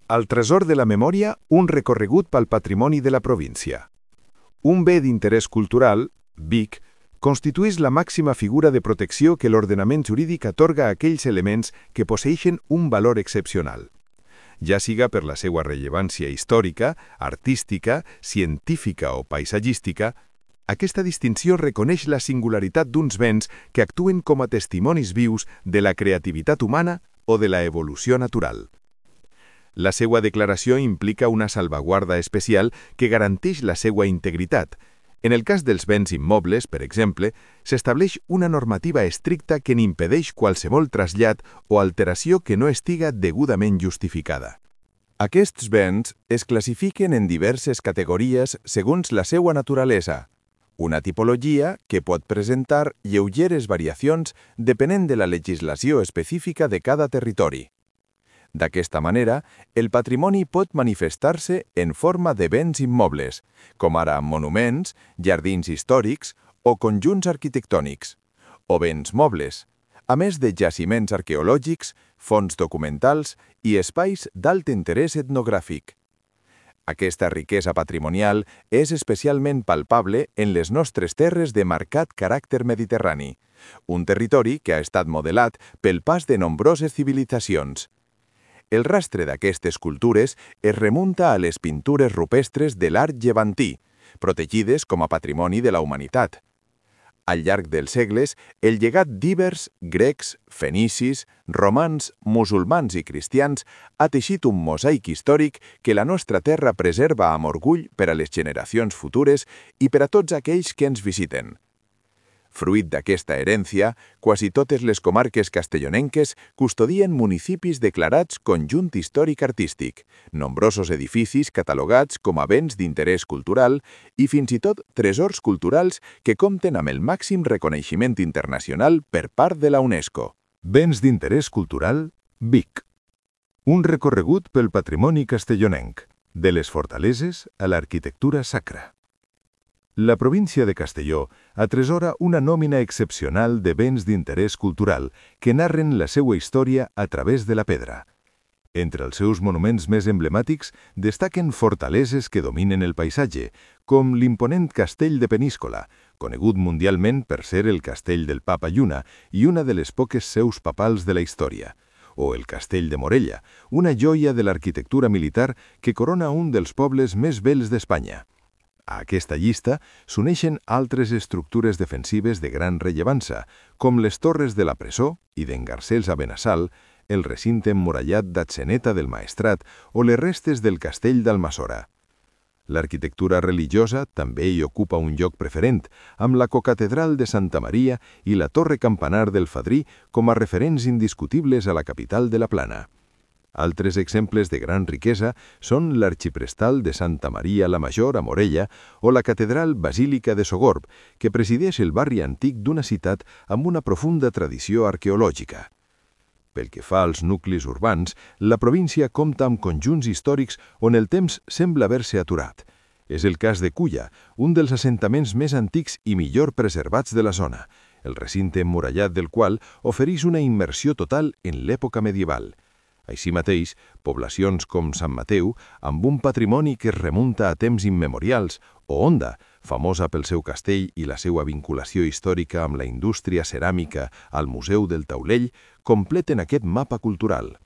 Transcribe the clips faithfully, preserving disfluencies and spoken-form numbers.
Al Tresor de la Memòria, un recorregut pel patrimoni de la província. Un bé d'interès cultural, B I C, constitueix la màxima figura de protecció que l'ordenament jurídic atorga a aquells elements que posseeixen un valor excepcional, ja siga per la seva rellevància històrica, artística, científica o paisatgística. Aquesta distinció reconeix la singularitat d'uns béns que actuen com a testimonis vius de la creativitat humana o de la evolució natural. La seva declaració implica una salvaguarda especial que garanteix la seva integritat. En el cas dels béns immobles, per exemple, s'estableix una normativa estricta que n'impedeix qualsevol trasllat o alteració que no estiga degudament justificada. Aquests béns es classifiquen en diverses categories segons la seva naturalesa, una tipologia que pot presentar lleugeres variacions depenent de la legislació específica de cada territori. D'aquesta manera, el patrimoni pot manifestar-se en forma de béns immobles, com ara monuments, jardins històrics o conjunts arquitectònics, o béns mobles, a més de jaciments arqueològics, fonts documentals i espais d'alt interès etnogràfic. Aquesta riquesa patrimonial és especialment palpable en les nostres terres de marcat caràcter mediterrani, un territori que ha estat modelat pel pas de nombroses civilitzacions. El rastre d'aquestes cultures es remunta a les pintures rupestres de l'art llevantí, protegides com a patrimoni de la humanitat. Al llarg dels segles, el llegat d'íbers, grecs, fenicis, romans, musulmans i cristians ha teixit un mosaic històric que la nostra terra preserva amb orgull per a les generacions futures i per a tots aquells que ens visiten. Fruit d'aquesta herència, quasi totes les comarques castellonenques custodien municipis declarats conjunt històric-artístic, nombrosos edificis catalogats com a béns d'interès cultural i fins i tot tresors culturals que compten amb el màxim reconeixement internacional per part de la UNESCO. Béns d'interès cultural, B I C. Un recorregut pel patrimoni castellonenc, de les fortaleses a l'arquitectura sacra. La província de Castelló atresora una nòmina excepcional de béns d'interès cultural que narren la seva història a través de la pedra. Entre els seus monuments més emblemàtics destaquen fortaleses que dominen el paisatge, com l'imponent Castell de Peníscola, conegut mundialment per ser el castell del Papa Lluna i una de les poques seus papals de la història, o el Castell de Morella, una joia de l'arquitectura militar que corona un dels pobles més bells d'Espanya. A aquesta llista s'uneixen altres estructures defensives de gran rellevància, com les torres de la presó i d'en Garcés a Benassal, el recinte emmurallat d'Atzeneta del Maestrat o les restes del castell d'Almassora. L'arquitectura religiosa també hi ocupa un lloc preferent, amb la cocatedral de Santa Maria i la torre campanar del Fadrí com a referents indiscutibles a la capital de la Plana. Altres exemples de gran riquesa són l'arxiprestal de Santa Maria la Major a Morella o la catedral basílica de Sogorb, que presideix el barri antic d'una ciutat amb una profunda tradició arqueològica. Pel que fa als nuclis urbans, la província compta amb conjunts històrics on el temps sembla haver-se aturat. És el cas de Culla, un dels assentaments més antics i millor preservats de la zona, el recinte emmurallat del qual ofereix una immersió total en l'època medieval. Així mateix, poblacions com Sant Mateu, amb un patrimoni que es remunta a temps immemorials, o Onda, famosa pel seu castell i la seva vinculació històrica amb la indústria ceràmica al Museu del Taulell, completen aquest mapa cultural.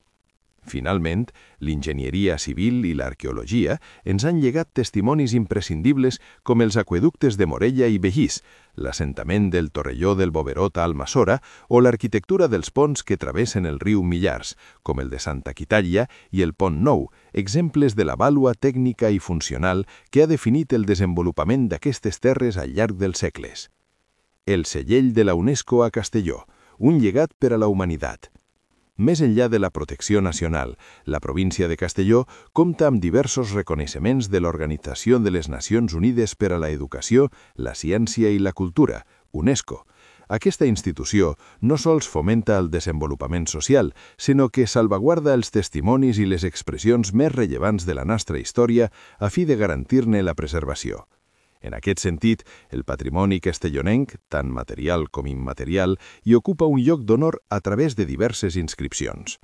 Finalment, l'enginyeria civil i l'arqueologia ens han llegat testimonis imprescindibles com els aqüeductes de Morella i Begís, l'assentament del Torrelló del Boverot a Almassora o l'arquitectura dels ponts que travessen el riu Millars, com el de Santa Quitària i el Pont Nou, exemples de la vàlua tècnica i funcional que ha definit el desenvolupament d'aquestes terres al llarg dels segles. El segell de la UNESCO a Castelló, un llegat per a la humanitat. Més enllà de la protecció nacional, la província de Castelló compta amb diversos reconeixements de l'Organització de les Nacions Unides per a la Educació, la Ciència i la Cultura, UNESCO. Aquesta institució no sols fomenta el desenvolupament social, sinó que salvaguarda els testimonis i les expressions més rellevants de la nostra història a fi de garantir-ne la preservació. En aquest sentit, el patrimoni castellonenc, tant material com immaterial, hi ocupa un lloc d'honor a través de diverses inscripcions.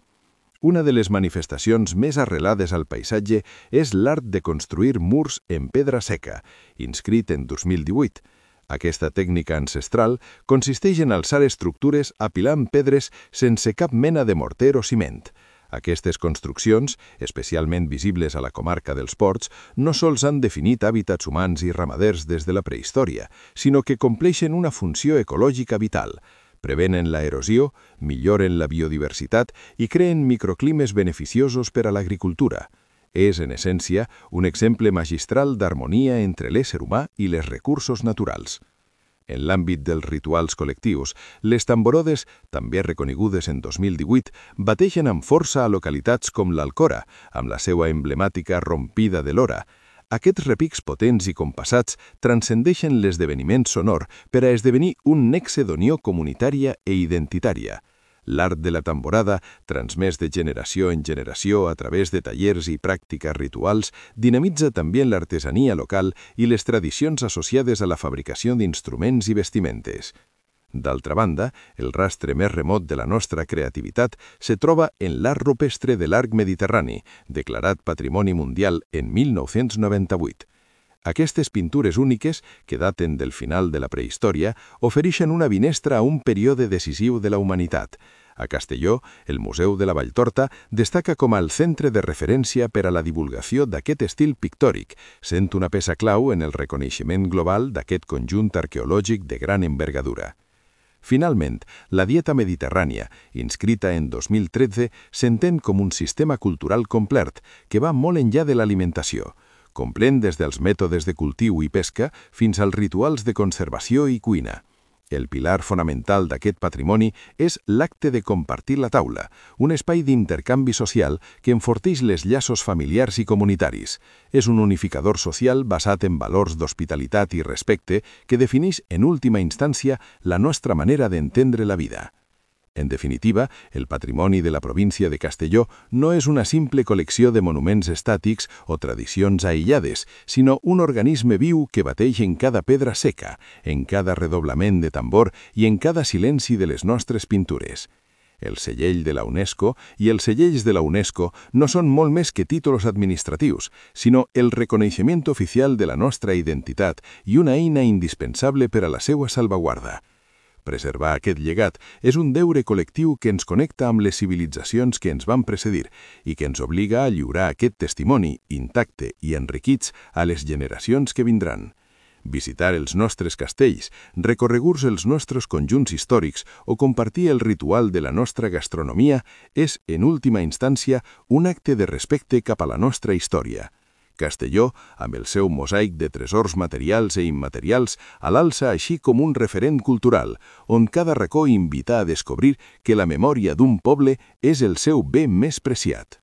Una de les manifestacions més arrelades al paisatge és l'art de construir murs en pedra seca, inscrit en dos mil divuit. Aquesta tècnica ancestral consisteix en alçar estructures apilant pedres sense cap mena de morter o ciment. Aquestes construccions, especialment visibles a la comarca dels Ports, no sols han definit hàbitats humans i ramaders des de la prehistòria, sinó que compleixen una funció ecològica vital. Prevenen la erosió, milloren la biodiversitat i creen microclimes beneficiosos per a l'agricultura. És, en essència, un exemple magistral d'harmonia entre l'ésser humà i les recursos naturals. En l'àmbit dels rituals col·lectius, les tamborodes, també reconegudes en dos mil divuit, bateixen amb força a localitats com l'Alcora, amb la seva emblemàtica rompida de l'hora. Aquests repics potents i compassats transcendeixen l'esdeveniment sonor per a esdevenir un nexe d'unió comunitària i identitària. L'art de la tamborada, transmès de generació en generació a través de tallers i pràctiques rituals, dinamitza també l'artesania local i les tradicions associades a la fabricació d'instruments i vestimentes. D'altra banda, el rastre més remot de la nostra creativitat se troba en l'art rupestre de l'arc mediterrani, declarat Patrimoni Mundial en mil nou-cents noranta-vuit. Aquestes pintures úniques, que daten del final de la prehistòria, ofereixen una finestra a un període decisiu de la humanitat. A Castelló, el Museu de la Valltorta destaca com el centre de referència per a la divulgació d'aquest estil pictòric, sent una peça clau en el reconeixement global d'aquest conjunt arqueològic de gran envergadura. Finalment, la dieta mediterrània, inscrita en dos mil tretze, s'entén com un sistema cultural complet que va molt enllà de l'alimentació. Comprèn des dels mètodes de cultiu i pesca fins als rituals de conservació i cuina. El pilar fonamental d'aquest patrimoni és l'acte de compartir la taula, un espai d'intercanvi social que enforteix les llaços familiars i comunitaris. És un unificador social basat en valors d'hospitalitat i respecte que defineix en última instància la nostra manera d'entendre la vida. En definitiva, el patrimoni de la província de Castelló no és una simple col·lecció de monuments estàtics o tradicions aïllades, sinó un organisme viu que bateix en cada pedra seca, en cada redoblament de tambor i en cada silenci de les nostres pintures. El segell de la UNESCO i els segells de la UNESCO no són molt més que títols administratius, sinó el reconeixement oficial de la nostra identitat i una eina indispensable per a la seva salvaguarda. Preservar aquest llegat és un deure col·lectiu que ens connecta amb les civilitzacions que ens van precedir i que ens obliga a lliurar aquest testimoni intacte i enriquits a les generacions que vindran. Visitar els nostres castells, recorreguts els nostres conjunts històrics o compartir el ritual de la nostra gastronomia és, en última instància, un acte de respecte cap a la nostra història. Castelló, amb el seu mosaic de tresors materials i immaterials, l'alça així com un referent cultural, on cada racó invita a descobrir que la memòria d'un poble és el seu bé més preciat.